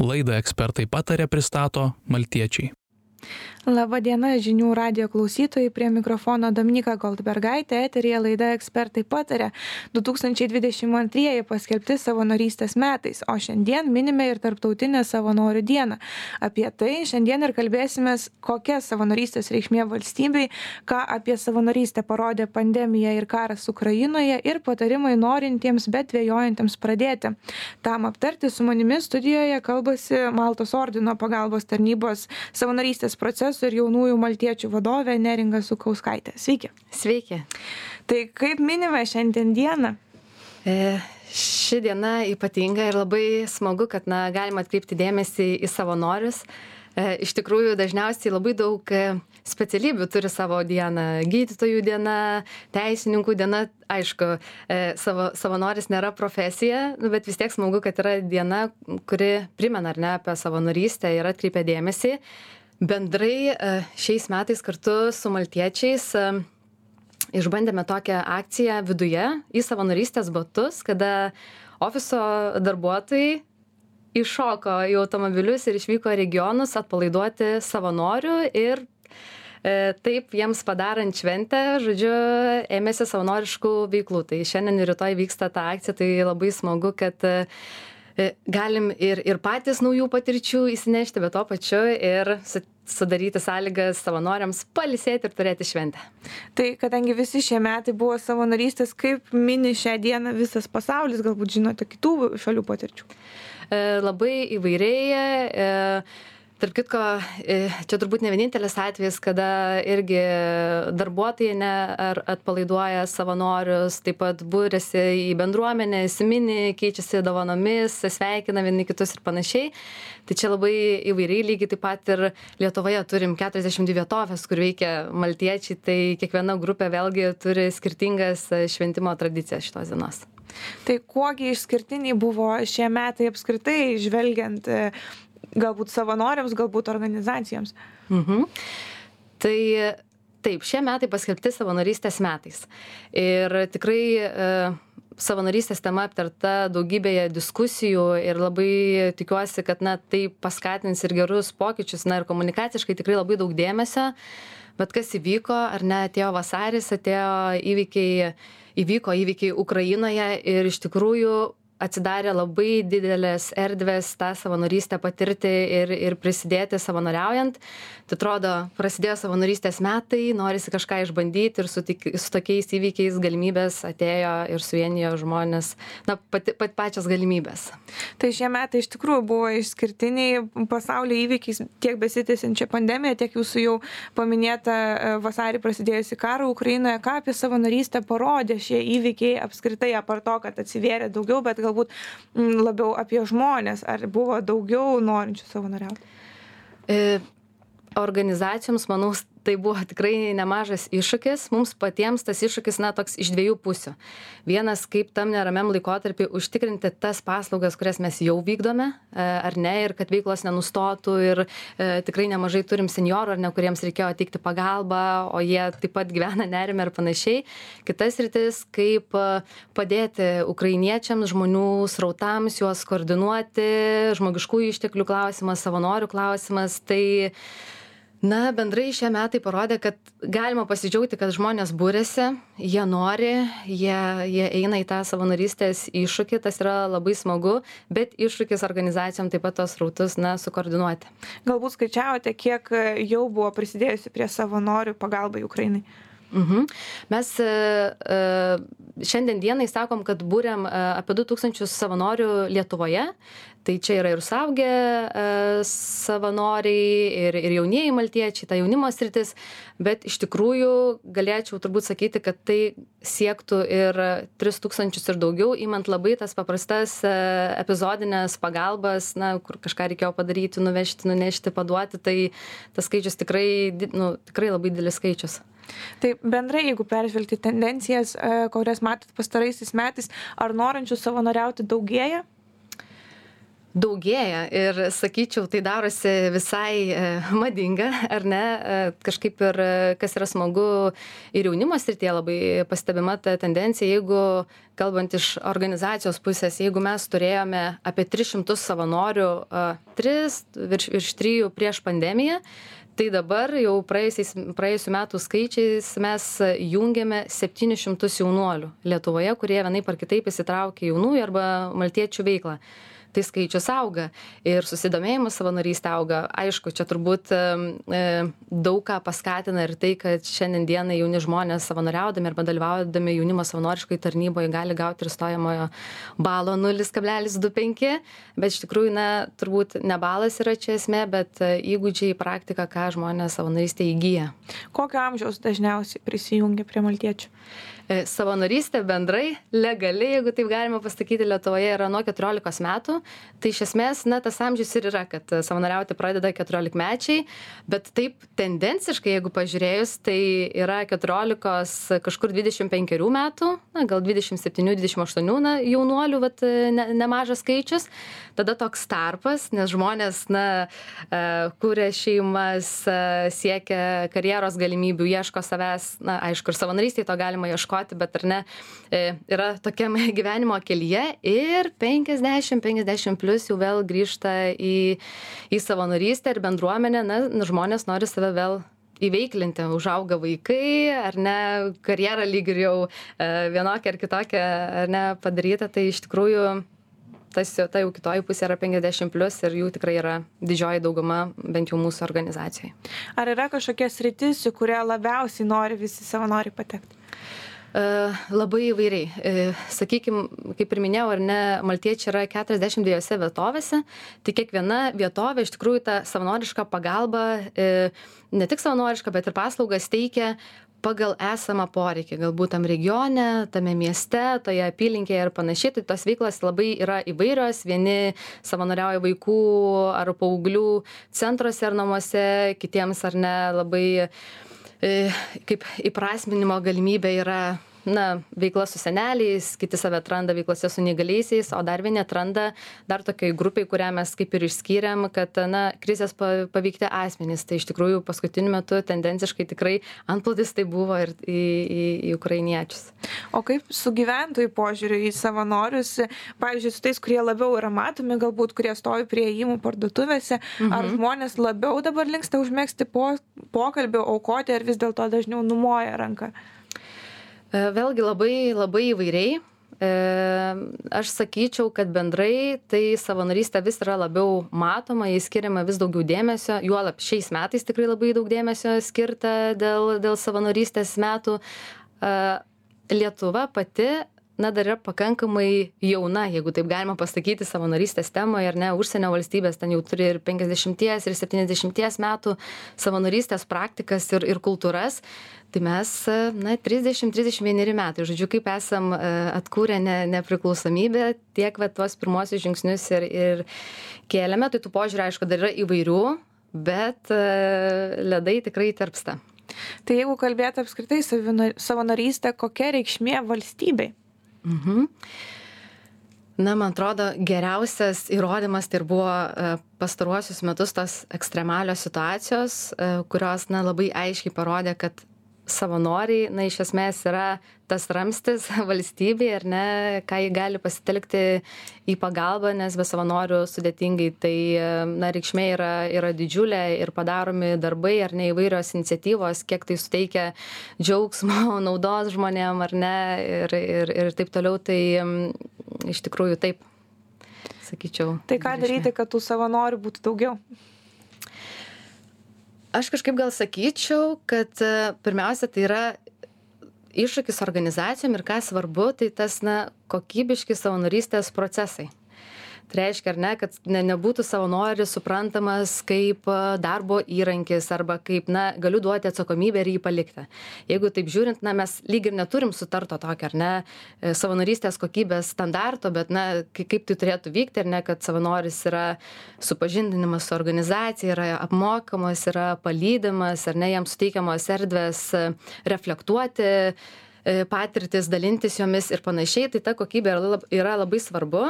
Laidą Ekspertai pataria pristato maltiečiai. Labą dieną žinių radijo klausytojai, prie mikrofono Dominika Goldbergaitė, eteryje laida Ekspertai pataria. 2022 paskelbti savanorystės metais, o šiandien minime ir Tarptautinę savanorių dieną. Apie tai šiandien ir kalbėsimės, kokia savanorystės reikšmė valstybei, ką apie savanorystę parodė pandemija ir karas Ukrainoje ir patarimai norintiems, bet dvejojantiems pradėti. Tam aptarti su manimi studijoje kalbasi Maltos ordino pagalbos tarnybos savanorystės procesų ir jaunųjų maltiečių vadovė Neringa Sukauskaitė. Sveiki. Sveiki. Tai kaip minime šiandien dieną? Ši diena ypatinga ir labai smagu, kad galima atkreipti dėmesį į savanorius. Iš tikrųjų, dažniausiai labai daug specialybių turi savo dieną. Gydytojų diena, teisininkų diena. Aišku, savanoris nėra profesija, bet vis tiek smagu, kad yra diena, kuri primena apie savanorystę ir atkreipia dėmesį. Bendrai šiais metais kartu su maltiečiais išbandėme tokią akciją viduje į savanorystės batus, kada ofiso darbuotojai iššoko į automobilius ir išvyko į regionus atpalaiduoti savanorių ir taip jiems padarant šventę, ėmėsi savanoriškų veiklų. Tai šiandien ir rytoj vyksta ta akcija, tai labai smagu, kad galim ir patys naujų patirčių įsinešti, bet to pačiu ir sudaryti sąlygas savanoriams pailsėti ir turėti šventę. Tai kadangi visi šie metai buvo savanorystės, kaip mini šią dieną visas pasaulis, galbūt žinote kitų šalių patirčių? Labai įvairiai. Tarp kitko, čia turbūt ne vienintelis atvejis, kada irgi darbuotojai atpalaiduoja savanorius, taip pat būrėsi į bendruomenę, įsimini, keičiasi dovanomis, sveikina vieni kitus ir panašiai. Tai čia labai įvairiai, lygiai taip pat ir Lietuvoje turim 42 vietovės, kur veikia maltiečiai, tai kiekviena grupė vėlgi turi skirtingas šventimo tradicijas šitos dienos. Tai kuogi išskirtiniai buvo šie metai apskritai, žvelgiant galbūt savanoriams, galbūt organizacijoms? Tai taip, šie metai paskelbti savanorystės metais. Ir tikrai savanorystės tema aptarta daugybėje diskusijų ir labai tikiuosi, kad tai paskatins ir gerus pokyčius, ir komunikaciškai tikrai labai daug dėmesio. Bet kas įvyko, atėjo vasaris, įvyko įvykiai Ukrainoje ir iš tikrųjų atsidarė labai didelės erdvės tą savanorystę patirti ir prisidėti savanoriaujant. Tai atrodo, prasidėjo savanorystės metai, norisi kažką išbandyti ir su tokiais įvykiais galimybės atėjo ir suvienijo žmonės, pačias galimybės. Tai šie metai iš tikrųjų buvo išskirtiniai pasaulio įvykiais, tiek besitęsiančia pandemija, tiek jūsų jau paminėta vasarį prasidėjusi karą Ukrainoje. Ką apie savanorystę parodė šie įvykiai apskritai, apart to, kad atsivėrė daugiau, bet galbūt labiau apie žmonės, ar buvo daugiau norinčių savanoriauti? Organizacijoms, manau, tai buvo tikrai nemažas iššūkis. Mums patiems tas iššūkis, toks iš dviejų pusių. Vienas, kaip tam neramiam laikotarpį užtikrinti tas paslaugas, kurias mes jau vykdome, ar ne, ir kad veiklos nenustotų ir tikrai nemažai turim seniorų, kuriems reikėjo teikti pagalbą, o jie taip pat gyvena nerime ir panašiai. Kitas rytis, kaip padėti ukrainiečiams, žmonių srautams, juos koordinuoti, žmogiškųjų išteklių klausimas, savanorių klausimas. Tai bendrai šie metai parodė, kad galima pasidžiaugti, kad žmonės būrėsi, jie nori, jie eina į tą savanorystės iššūkį, tas yra labai smagu, bet iššūkis organizacijom taip pat tos srautus sukoordinuoti. Galbūt skaičiavote, kiek jau buvo prisidėjusi prie savanorių pagalbai Ukrainai? Mes šiandien dienai sakom, kad būrėm apie 2000 savanorių Lietuvoje. Tai čia yra ir suaugę savanoriai, ir jaunieji maltiečiai, ta jaunimo sritis, bet iš tikrųjų galėčiau turbūt sakyti, kad tai siektų ir 3000 ir daugiau, imant labai tas paprastas epizodinės pagalbas, kur kažką reikėjo padaryti, nuvežti, nunešti, paduoti, tai tas skaičius tikrai labai didelis skaičius. Tai bendrai, jeigu peržvelgti tendencijas, kurias matot pastaraisiais metais, ar norinčių savanoriauti daugėja? daugėja ir sakyčiau, tai darosi visai madinga, ar ne? Kažkaip ir kas yra smagu ir jaunimo srityje labai pastebima ta tendencija, jeigu kalbant iš organizacijos pusės, jeigu mes turėjome apie 300 savanorių, virš 3 prieš pandemiją, tai dabar jau praėjusių metų skaičiais mes jungiame 700 jaunuolių Lietuvoje, kurie vienaip ar kitaip įsitraukia jaunųjų arba maltiečių veiklą. Tai skaičius auga ir susidomėjimas savanorystė auga. Aišku, čia turbūt daug ką paskatina ir tai, kad šiandien dienai jauni žmonės savanoriaudami arba dalyvaudami jaunimo savanoriškai tarnyboje gali gauti ir stojamojo balo 0,25, bet iš tikrųjų, turbūt ne balas yra čia esmė, bet įgūdžiai, praktika, ką žmonės savanorystė įgyja. Kokio amžiaus dažniausiai prisijungia prie maltiečių? Savanorystė bendrai, legaliai, jeigu taip galima pasakyti, Lietuvoje yra nuo 14 metų. Tai iš esmės, tas amžius ir yra, kad savanoriauti pradeda 14-mečiai, bet taip tendenciškai, jeigu pažiūrėjus, tai yra 14 kažkur 25 metų, gal 27-28 jaunuolių, nemažas skaičius. Tada toks tarpas, nes žmonės, kuria šeimas, siekia karjeros galimybių, ieško savęs, aišku, ir savanorystėje to galima ieškoti, bet ar ne, yra tokiam gyvenimo kelyje ir 50 plus jau vėl grįžta į savanorystę ir bendruomenę, žmonės nori save vėl įveiklinti, užauga vaikai, ar ne, karjerą lyg ir jau vienokia ar kitokia, ar ne, padaryta, tai iš tikrųjų ta jau kitoji pusė yra 50 plus ir jų tikrai yra didžioji dauguma, bent jau mūsų organizacijoje. Ar yra kažkokia sritis, į kurią labiausiai nori visi savanoriai patekti? Labai įvairiai. Sakykime, kaip ir minėjau, ar ne, maltiečiai yra 42 vietovėse, tai kiekviena vietovė iš tikrųjų tą savanorišką pagalbą, ne tik savanorišką, bet ir paslaugas teikia pagal esamą poreikį, galbūt tam regione, tame mieste, toje apylinkėje ir panašiai. Tai tos veiklos labai yra įvairios. Vieni savanoriauja vaikų ar paauglių centruose ar namuose, kitiems ar ne labai kaip įprasminimo galimybė yra veikla su seneliais, kiti save atranda veiklose su neįgaliaisiais, o dar vieni atranda dar tokiai grupiai, kurią mes kaip ir išskyrėm, kad krizės paveikti asmenys. Tai iš tikrųjų paskutiniu metu tendenciškai tikrai antplūdis tai buvo ir į ukrainiečius. O kaip su gyventojų požiūriu į savanorius, pavyzdžiui, su tais, kurie labiau yra matomi, galbūt kurie stovi prie įėjimų parduotuvėse, ar žmonės labiau dabar linksta užmegzti pokalbį, aukoti, ar vis dėlto dažniau numoja ranką? Vėlgi labai įvairiai. Aš sakyčiau, kad bendrai tai savanorystė vis yra labiau matoma, jai skiriama vis daugiau dėmesio, juolab šiais metais tikrai labai daug dėmesio skirta dėl savanorystės metų. Lietuva pati dar yra pakankamai jauna, jeigu taip galima pasakyti, savanorystės temoje, ar ne, užsienio valstybės ten jau turi ir 50 ir 70 metų savanorystės praktikas ir kultūras. Tai mes 30-31 metai, žodžiu, kaip esam atkūrę nepriklausomybę, tiek tuos pirmosius žingsnius ir kėlėme, tai tų požiūrį, aišku, dar yra įvairių, bet ledai tikrai tirpsta. Tai jeigu kalbėtų apskritai savanorystę, kokia reikšmė valstybei? Man atrodo, geriausias įrodymas tai ir buvo pastaruosius metus tos ekstremalios situacijos, kurios labai aiškiai parodė, kad savanoriai, iš esmės yra tas ramstis valstybei, ar ne, ką jį gali pasitelkti į pagalbą, nes be savanorių sudėtingai, tai reikšmė yra didžiulė ir padaromi darbai, ar ne, įvairios iniciatyvos, kiek tai suteikia džiaugsmo, naudos žmonėm, ar ne, ir taip toliau, tai iš tikrųjų taip, sakyčiau. Tai ką daryti, kad tų savanorių būtų daugiau? Aš kažkaip gal sakyčiau, kad pirmiausia, tai yra iššūkis organizacijom ir ką svarbu, tai tas kokybiški savanorystės procesai. Tai reiškia, ar ne, kad nebūtų savanoris suprantamas kaip darbo įrankis arba kaip, galiu duoti atsakomybę ir jį palikti. Jeigu taip žiūrint, mes lyg ir neturim sutarto tokio, ar ne, savanorystės kokybės standarto, bet, kaip tai turėtų vykti, ar ne, kad savanoris yra supažindinimas su organizacija, yra apmokamas, yra palydimas, ar ne, jam suteikiamos erdvės reflektuoti patirtis, dalintis jomis ir panašiai, tai ta kokybė yra labai svarbu.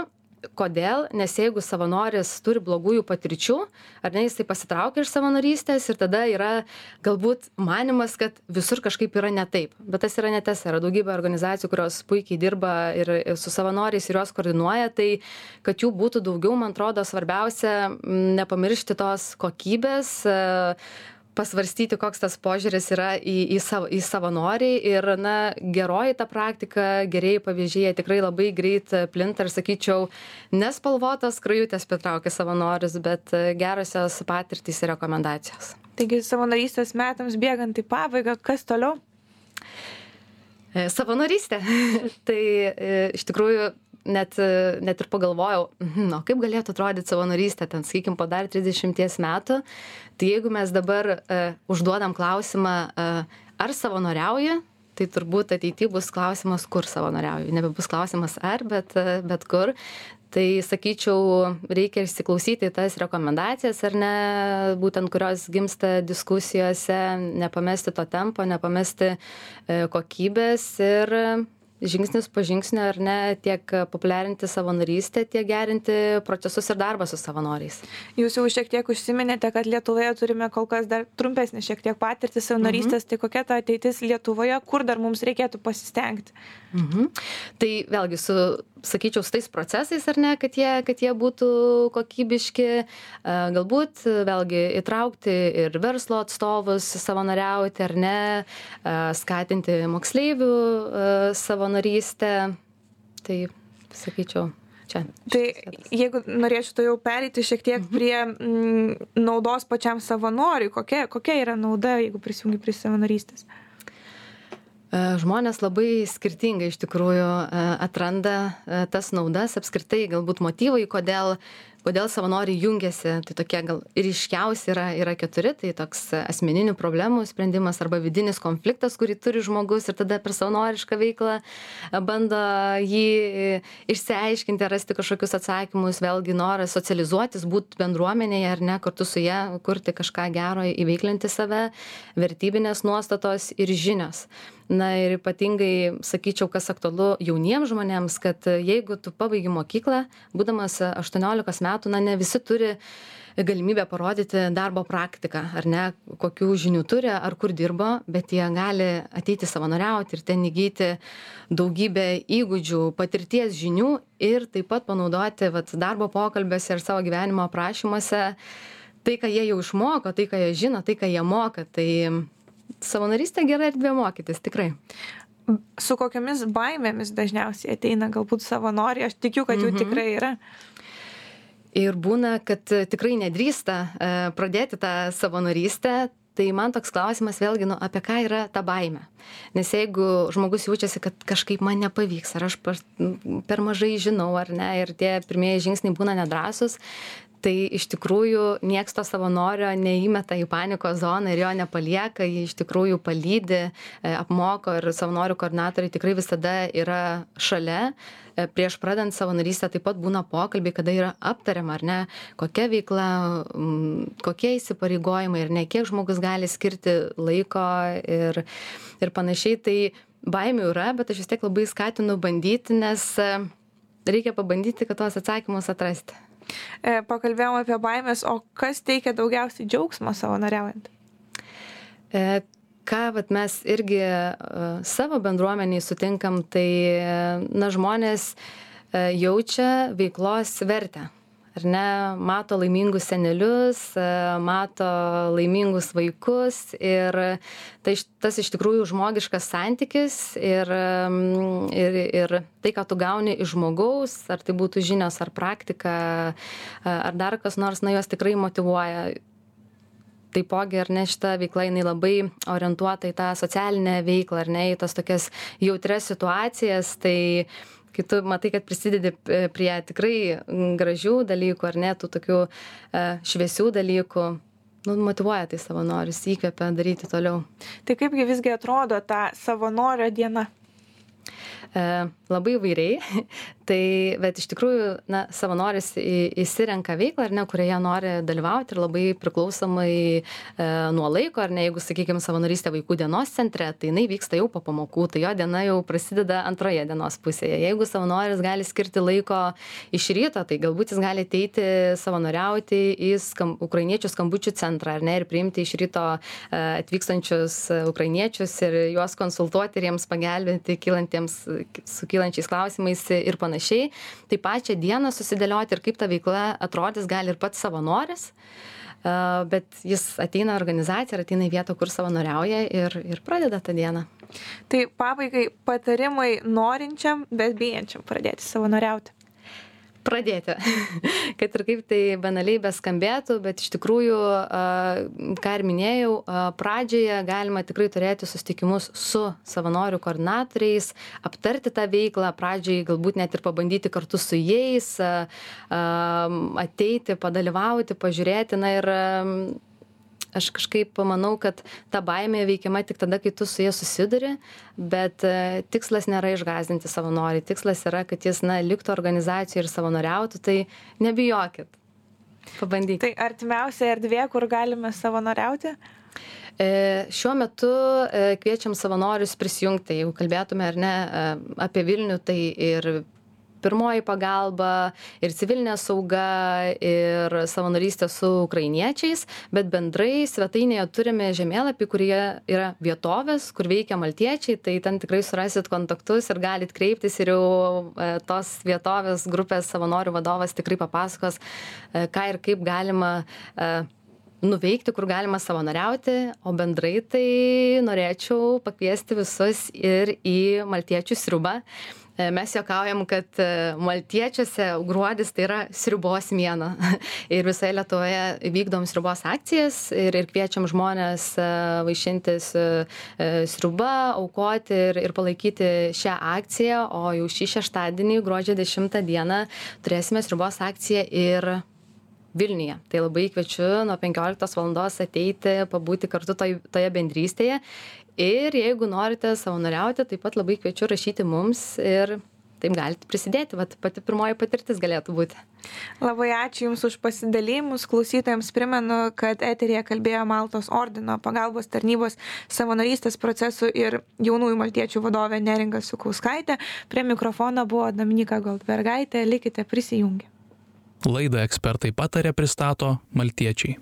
Kodėl? Nes jeigu savanoris turi blogųjų patirčių, ar ne, jisai pasitraukia iš savanorystės ir tada yra galbūt manimas, kad visur kažkaip yra ne taip. Bet tas yra netiesa. Yra daugybė organizacijų, kurios puikiai dirba ir su savanoriais ir juos koordinuoja, tai kad jų būtų daugiau, man atrodo, svarbiausia nepamiršti tos kokybės, pasvarstyti, koks tas požiūris yra į savanoriai ir, geroji ta praktika, gerieji pavyzdžiai tikrai labai greit plinta ir, sakyčiau, nespalvotas skrajutės pritraukia savanorius, bet gerosios patirtys ir rekomendacijos. Taigi savanorystės metams bėgant į pabaigą, kas toliau? Savanorystė. Tai iš tikrųjų net ir pagalvojau, kaip galėtų atrodyti savanorystė, ten, sakykim, po dar 30 metų, tai jeigu mes dabar užduodam klausimą, ar savanoriauji, tai turbūt ateityje bus klausimas, kur savanoriauji. Nebebus klausimas ar, bet kur. Tai, sakyčiau, reikia įsiklausyti tas rekomendacijas, ar ne, būtent kurios gimsta diskusijose, nepamesti to tempo, nepamesti kokybės ir žingsnis po žingsnio, ar ne, tiek populiarinti savanorystę, tiek gerinti procesus ir darbą su savanoriais. Jūs jau šiek tiek užsiminėte, kad Lietuvoje turime kol kas dar trumpesnį šiek tiek patirtį savanorystės, tai kokia ta ateitis Lietuvoje, kur dar mums reikėtų pasistengti? Tai vėlgi sakyčiau, su tais procesais, ar ne, kad jie būtų kokybiški, galbūt vėlgi įtraukti ir verslo atstovus savanoriauti, ar ne, skatinti moksleivių savanorystę, tai sakyčiau, čia. Tai jeigu norėčiau to jau pereiti šiek tiek prie naudos pačiam savanoriui, kokia yra nauda, jeigu prisijungi prie savanorystės? Žmonės labai skirtingai iš tikrųjų atranda tas naudas, apskritai galbūt motyvai, kodėl savanoriai jungiasi, tai tokie gal ryškiausi yra 4, tai toks asmeninių problemų sprendimas arba vidinis konfliktas, kurį turi žmogus ir tada per savanorišką veiklą bando jį išsiaiškinti, rasti kažkokius atsakymus, vėlgi noras socializuotis, būti bendruomenėje ar ne, kartu su ją kurti kažką gero, įveiklinti save, vertybinės nuostatos ir žinios. Ir ypatingai, sakyčiau, kas aktualu jauniems žmonėms, kad jeigu tu pabaigi mokyklą, būdamas 18 metų, ne visi turi galimybę parodyti darbo praktiką, ar ne, kokių žinių turi, ar kur dirbo, bet jie gali ateiti savanoriauti ir ten įgyti daugybę įgūdžių, patirties žinių ir taip pat panaudoti darbo pokalbėse ir savo gyvenimo aprašymuose tai, ką jie jau išmoko, tai, ką jie žino, tai, ką jie moka. Tai savanorystė gera erdvė mokytis, tikrai. Su kokiamis baimėmis dažniausiai ateina galbūt savanoriai, aš tikiu, kad jų tikrai yra. Ir būna, kad tikrai nedrįsta pradėti tą savanorystę, tai man toks klausimas vėlgi, apie ką yra ta baimė. Nes jeigu žmogus jaučiasi, kad kažkaip man nepavyks, ar aš per mažai žinau, ar ne, ir tie pirmieji žingsniai būna nedrąsus, tai iš tikrųjų nieks to savanorio neįmeta į panikos zoną ir jo nepalieka, jį iš tikrųjų palydi, apmoko ir savanorių koordinatoriai tikrai visada yra šalia. Prieš pradant savanorystę taip pat būna pokalbiai, kada yra aptariama, ar ne, kokia veikla, kokie įsipareigojimai ir ne, kiek žmogus gali skirti laiko ir panašiai. Tai baimių yra, bet aš vis tiek labai skatinu bandyti, nes reikia pabandyti, kad tuos atsakymus atrasti. Pakalbėjom apie baimės, o kas teikia daugiausiai džiaugsmo savanoriaujant? Ką mes irgi savo bendruomeniai sutinkam, tai žmonės jaučia veiklos vertę. Ar ne, mato laimingus senelius, mato laimingus vaikus ir tas iš tikrųjų žmogiškas santykis ir tai, ką tu gauni iš žmogaus, ar tai būtų žinios, ar praktika, ar dar kas nors, juos tikrai motyvuoja. Taipogi, ar ne, šita veikla, jinai labai orientuota į tą socialinę veiklą, ar ne, į tas tokias jautrias situacijas, tai kai tu matai, kad prisidedi prie tikrai gražių dalykų, ar ne, tų tokių šviesių dalykų, motyvuoja tai savanorius, įkvepia daryti toliau. Tai kaipgi visgi atrodo ta savanorio diena? Labai įvairiai. Bet iš tikrųjų, savanoris įsirenka veiklą, ar ne, kurioje nori dalyvauti ir labai priklausomai nuo laiko, ar ne, jeigu, sakykime, savanorystė vaikų dienos centre, tai jinai vyksta jau po pamokų, tai jo diena jau prasideda antroje dienos pusėje. Jeigu savanoris gali skirti laiko iš ryto, tai galbūt jis gali ateiti savanoriauti į ukrainiečių skambučių centrą, ar ne, ir priimti iš ryto atvykstančius ukrainiečius ir juos konsultuoti ir jiems pagelbėti su kylančiais klausimais ir panašiai. Tai pačią dieną susidėlioti ir kaip ta veikla atrodys gali ir pats savanoris, bet jis ateina organizaciją ir ateina į vietą, kur savanoriauja ir pradeda tą dieną. Tai pabaigai patarimai norinčiam, bet bijančiam pradėti savanoriauti. Pradėti. Kad ir kaip tai banaliai beskambėtų, bet iš tikrųjų, ką ir minėjau, pradžioje galima tikrai turėti susitikimus su savanorių koordinatoriais, aptarti tą veiklą, pradžiai galbūt net ir pabandyti kartu su jais, ateiti, padalyvauti, pažiūrėti. Ir aš kažkaip manau, kad ta baimė veikiama tik tada, kai tu su jie susiduri, bet tikslas nėra išgąsdinti savanorių, tikslas yra, kad jis liktų organizacijoje ir savanoriautų, tai nebijokit, pabandykit. Tai artimiausia erdvė, kur galime savanoriauti? Šiuo metu kviečiam savanorius prisijungti, jeigu kalbėtume ar ne apie Vilnių, tai ir pirmoji pagalba, ir civilinė sauga, ir savanorystė su ukrainiečiais, bet bendrai svetainėje turime žemėlapį, kurie yra vietovės, kur veikia maltiečiai, tai ten tikrai surasit kontaktus ir galit kreiptis ir jau tos vietovės grupės savanorių vadovas tikrai papasakos, ką ir kaip galima nuveikti, kur galima savanoriauti, o bendrai tai norėčiau pakviesti visus ir į maltiečių sriubą. Mes juokaujam, kad maltiečiuose gruodis tai yra sriubos mėnuo ir visoje Lietuvoje vykdom sriubos akcijas ir kviečiam žmonės vaišintis sriuba, aukoti ir palaikyti šią akciją, o jau šį šeštadienį, gruodžio 10 dieną, turėsime sriubos akciją ir Vilniuje. Tai labai kviečiu nuo 15 valandos ateiti, pabūti kartu toje bendrystėje. Ir jeigu norite savanoriauti, taip pat labai kviečiu rašyti mums ir taip galite prisidėti. Pati pirmoji patirtis galėtų būti. Labai ačiū Jums už pasidalymus. Klausytojams primenu, kad eteryje kalbėjo Maltos ordino pagalbos tarnybos savanorystės procesų ir jaunųjų maltiečių vadovė Neringa Sukauskaitė. Prie mikrofono buvo Dominika Goldbergaitė. Likite prisijungę. Laidą Ekspertai pataria pristato Maltiečiai.